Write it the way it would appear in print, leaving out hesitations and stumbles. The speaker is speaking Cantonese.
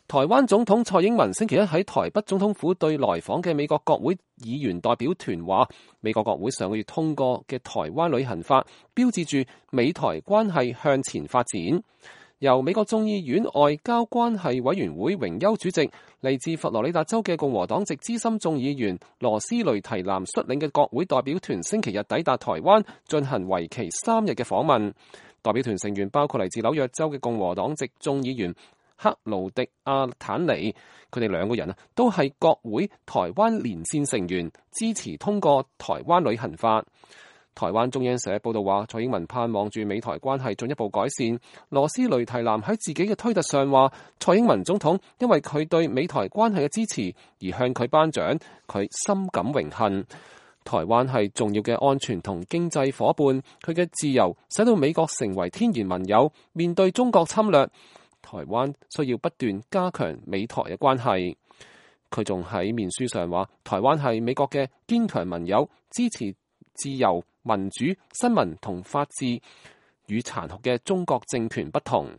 台灣總統蔡英文星期一喺台北總統府對來訪嘅美國國會議員代表團話，美國國會上個月通過嘅台灣旅行法，標誌住美台關係向前發展。由美國眾議院外交關係委員會榮休主席、嚟自佛羅里達州嘅共和黨籍資深眾議員羅斯雷提南率領嘅國會代表團星期日抵達台灣，進行為期3日嘅訪問。代表團成員包括嚟自紐約州嘅共和黨籍眾議員克勞迪亞坦尼，佢哋兩個人都係國會台灣連線成員，支持通過台灣旅行法。台灣中央社報道話，蔡英文盼望住美台關係進一步改善。羅斯雷提南喺自己嘅推特上話，蔡英文總統因為佢對美台關係嘅支持而向佢頒獎，佢深感榮幸。台灣係重要嘅安全同經濟夥伴，佢嘅自由使到美國成為天然盟友，面對中國侵略，台灣需要不斷加強美台嘅關係。佢仲喺面書上話，台灣係美國嘅堅強盟友，支持自由、民主、新聞同法治，與殘酷嘅中國政權不同。